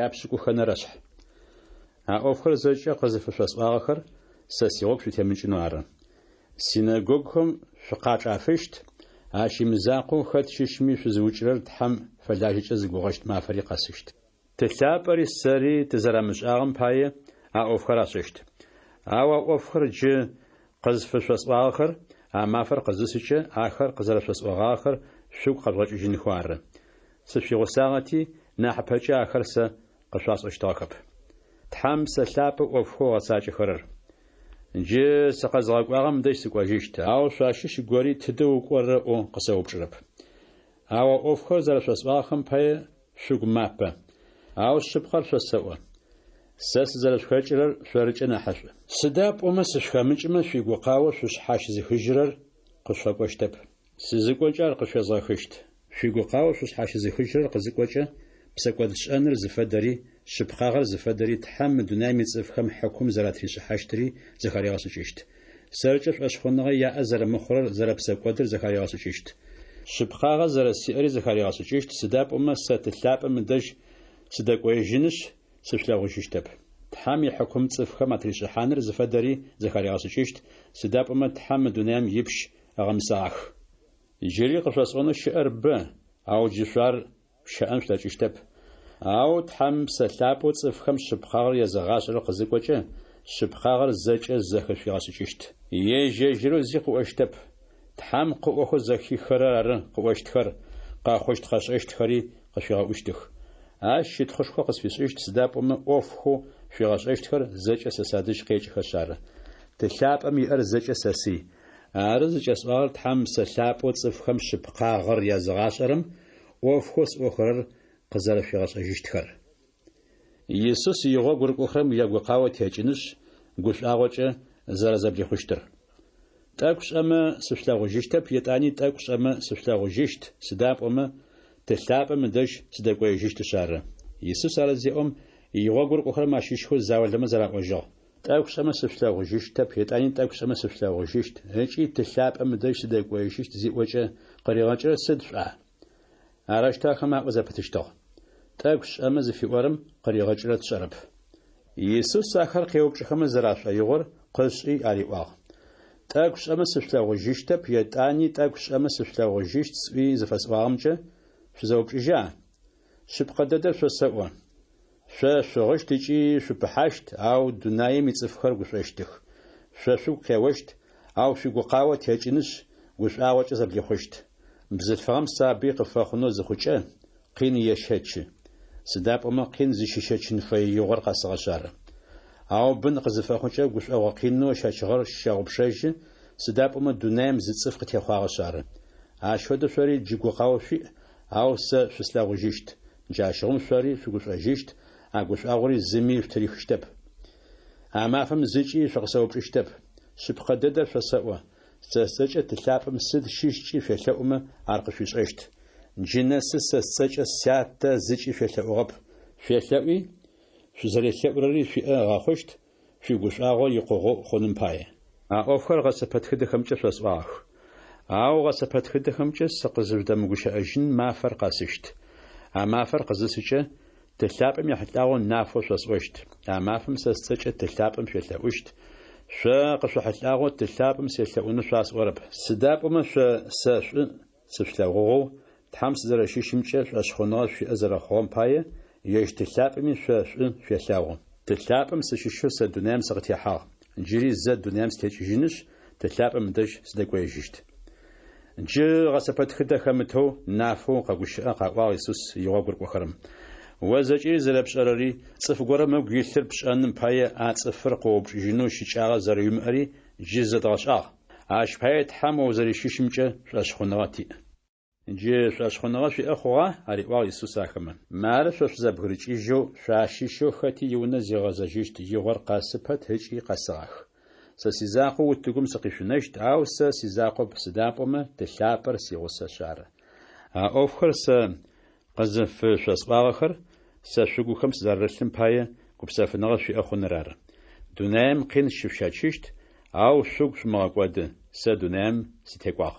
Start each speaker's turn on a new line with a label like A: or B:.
A: Япшӏыкӏухэнэрэшъхь. А ӏофхэр зэкӏэ къызыфышъосӏуагъэхэр сэ сигъогу шъутемыкӏынэу ары. Синэгогухэм шъукъачӏафыщт, ащ имызакъоу, хэт щыщми шъузыукӏырэр Тхьэм фэлажьэкӏэ зыгугъэщт мафэри къэсыщт. Ты лъапӏэри сэри тызэрамышӏагъэм пае а ӏофхэр ашӏэщт. Ау а ӏофхэр джы къызфышъосӏуагъэхэр а мафэр къызысыкӏэ, ахэр къызэрэшъосӏогъагъэхэр шъугу къэжъугъэкӏыжьынхэу ары. Сышъуигъусагъэти, нахьыпэкӏэ ахэр сэ къышъуасӏощтыгъэхэп. Тхьэм Псэ Лъапӏэу ӏофхэу ыгъэцакӏэхэрэр. Джы сыкъэзыгъэкӏуагъэм дэжь сыкӏожьыщт, ау шъуащыщ гори тыдэ укӏорэ ыӏоу къысэупчӏырэп. Ау а ӏофхэр зэрэшъосӏуагъэхэм пае шъугу мапэ. Ау шъыпкъэр шъосэӏо, сэ сызэрэшъухэкӏырэр шъорыкӏэ нахьышӏу. Сыда пӏомэ сышъухэмыкӏымэ шъуигукъао шъушъхьащызыхыжьырэр къышъуфэкӏощтэп. Сызыкӏокӏэ ар къышъуезгъэхыщт. Шъуигукъао шъушъхьащызыхыжьырэр къызыкӏокӏэ, псэкӏодшӏэныр зыфэдэри, шъыпкъагъэр зыфэдэри, Тхьэм мы дунаим ицӏыфхэм хьыкум зэратришӏыхьащтыри зэхаригъэшӏыкӏыщт. Сэркӏэ шӏошъхъуныгъэ яӏэ зэрэмыхъурэр зэрэпсэкӏодыр зэхаригъэшӏыкӏыщт. Шъыпкъагъэ зэрэсиӏэри зэхаригъэшӏыкӏыщт, сыда пӏомэ сэ Ты лъапӏэм ыдэжь сыдэкӏоежьынышъ, сышъулъэгъужьыщтэп. Тхьэм ихьыкум цӏыфхэм атришӏыхьаныр зыфэдэри зэхаригъэшӏыкӏыщт, сыда пӏомэ Тхьэм мы дунаим ипщ ыгъэмысэгъах. Джыри къышъосӏонэу щыӏэр бэ, ау джы шъо ар шъущэӏэн шъулъэкӏыщтэп. Ау Тхьэм Псэ Лъапӏэу цӏыфхэм шъыпкъагъэр езыгъашӏэрэр къызыкӏокӏэ, шъыпкъагъэр зэкӏэ зэхышъуигъэшӏыкӏыщт. Ежь-ежьырэу зи къыӏощтэп. Тхьэм къыӏохэу зэхиххэрэр ары къыӏощтхэр, къэхъущт-къэшӏэщтхэри къышъуигъэӏущтых. Ащ щытхъушхо къысфишӏыщт, сыда пӏомэ ӏофхэу шъуигъэшӏэщтхэр зэкӏэ сэ садэжь къекӏыхэшъ ары. Ты лъапӏэм иӏэр зэкӏэ сэсый. Ары зыкӏэсӏуагъэр Тхьэм Псэ Лъапӏэу цӏыфхэм шъыпкъагъэр языгъашӏэрэм ӏофхэу сӏохэрэр къызэрэшъуигъэшӏэжьыщтхэр. Исус игъогу рыкӏохэрэм ягукъао текӏынышъ, гушӏуагъокӏэ зэрэзэблихъущтыр. Тӏэкӏу шӏэмэ сышъулъэгъужьыщтэп, етӏани тӏэкӏу шӏэмэ сышъулъэгъужьыщт, сыда пӏомэ Ты лъапӏэм ыдэжь сыдэкӏоежьыщтышъ ары. Исус ар зеӏом, игъогу рыкӏохэрэм ащыщхэу заулэмэ зэраӏожьыгъ. Тӏэкӏу шӏэмэ сышъулъэгъужьыщтэп, етӏани тӏэкӏу шӏэмэ сышъулъэгъужьыщт, ыкӏи Ты лъапӏэм ыдэжь сыдэкӏоежьыщт зиӏокӏэ, къыригъэкӏырэр сыд шъуӏа? Арэущтэу ахэмэ аӏо зэпытыщтыгъ. Тӏэкӏу шӏэмэ зыфиӏорэм къыригъэкӏырэр тшӏэрэп. Исус ахэр къеупчӏыхэмэ зэрашӏоигъор къышӏи ариӏуагъ, Тӏэкӏу шӏэмэ сышъулъэгъужьыщтэп, етӏани тӏэкӏу шӏэмэ сышъулъэгъужьыщт сӏуи зыфэсӏуагъэмкӏэ шъузэупчӏыжьа? Шъыпкъэ дэдэр шъосэӏо, шъо шъугъыщт ыкӏи шъупыхьащт, ау дунаим ицӏыфхэр гушӏощтых. Шъо шъугу къеощт, ау шъуигукъао текӏынышъ, гушӏуагъокӏэ зэблихъущт. Бзылъфыгъэм сабый къыфэхъунэу зыхъукӏэ, къин ещэчы. Сыда пӏомэ къин зыщищэчын фэе игъор къэсыгъэшъ ары. Ау бын къызыфэхъукӏэ гушӏогъо къинэу ыщэчыгъэр щэгъупшэжьы, сыда пӏомэ дунаим зы цӏыф къытехъуагъэшъ ары. Ащ фэдэу шъори джы гукъао шъуиӏ, ау сэ шъуслъэгъужьыщт. Джащыгъум шъори шъугушӏожьыщт, а гушӏуагъори зыми шъутырихыщтэп. А мафэм зыкӏи шъукъысэупчӏыщтэп. Шъыпкъэ дэдэр шъосэӏо, сэ сцӏэкӏэ Ты лъапӏэм сыд щыщкӏи шъуелъэӏумэ, ар къышъуишӏэщт. Джы нэсы сэ сцӏэкӏэ Сятэ зыкӏи шъуелъэӏугъэп. Шъуелъэӏуи, шъузэрелъэӏурэри шъуиӏэ ыгъэхъущт, шъуигушӏуагъо икъугъэу хъуным пае. А ӏофхэр гъэсэпэтхыдэхэмкӏэ шъосӏуагъэх. Ау гъэсэпэтхыдэхэмкӏэ сыкъызыжъудэмыгущыӏэжьын мафэр къэсыщт. А мафэр къызысыкӏэ, Ты лъапӏэм ехьылӏагъэу нафэу шъосӏощт. А мафэм сэ сцӏэкӏэ Ты лъапӏэм шъуелъэӏущт. Шъо къышъохьылӏагъэу Ты лъапӏэм селъэӏунэу шъуасӏорэп. Сыда пӏомэ шъо сэ шӏу сышъулъэгъугъэу, Тхьэм сызэрэщыщымкӏэ шӏошъхъуныгъэ шъуиӏэ зэрэхъугъэм пае, ежь Ты лъапӏэми шъо шӏу шъуелъэгъу. Ты лъапӏэм сыщыщэу сэ дунаим сыкъытехьагъ. Джыри зэ дунаим сытекӏыжьынышъ, Ты лъапӏэм ыдэжь сыдэкӏоежьыщт. Джы гъэсэпэтхыдэ хэмытэу, нафэу къэгущыӏэ, къаӏуагъ Исус игъогу рыкӏохэрэм. О зэкӏэри зэрэпшӏэрэри, цӏыф горэм ыгу илъыр пшӏэным пае а цӏыфыр къыоупчӏыжьынэу щыкӏагъэ зэрэуимыӏэри джы зэдгъэшӏагъ. Ащ пае Тхьэм о узэрэщыщымкӏэ шӏошъхъуныгъэ тиӏ. Джы шӏошъхъуныгъэ шъуиӏэ хъугъа? ариӏуагъ Исус ахэмэ. Мары шъо шъузэбгырыкӏыжьэу, шъуащыщэу хэти иунэ зигъэзэжьыщт игъор къэсы пэт ыкӏи къэсыгъах. Сэ сизакъоу утыгум сыкъишъунэщт, ау сэ сизакъоп, сыда пӏомэ Ты лъапӏэр сигъусэшъ ары. А ӏофхэр сэ къызыфышъосӏуагъэхэр сэ шъугухэм сызэрарылъым пае гупсэфыныгъэ шъуиӏэ хъуныр ары. Дунаим къин щышъущэчыщт, ау шъугу шъумыгъэкӏоды, сэ дунаим сытекӏуагъ.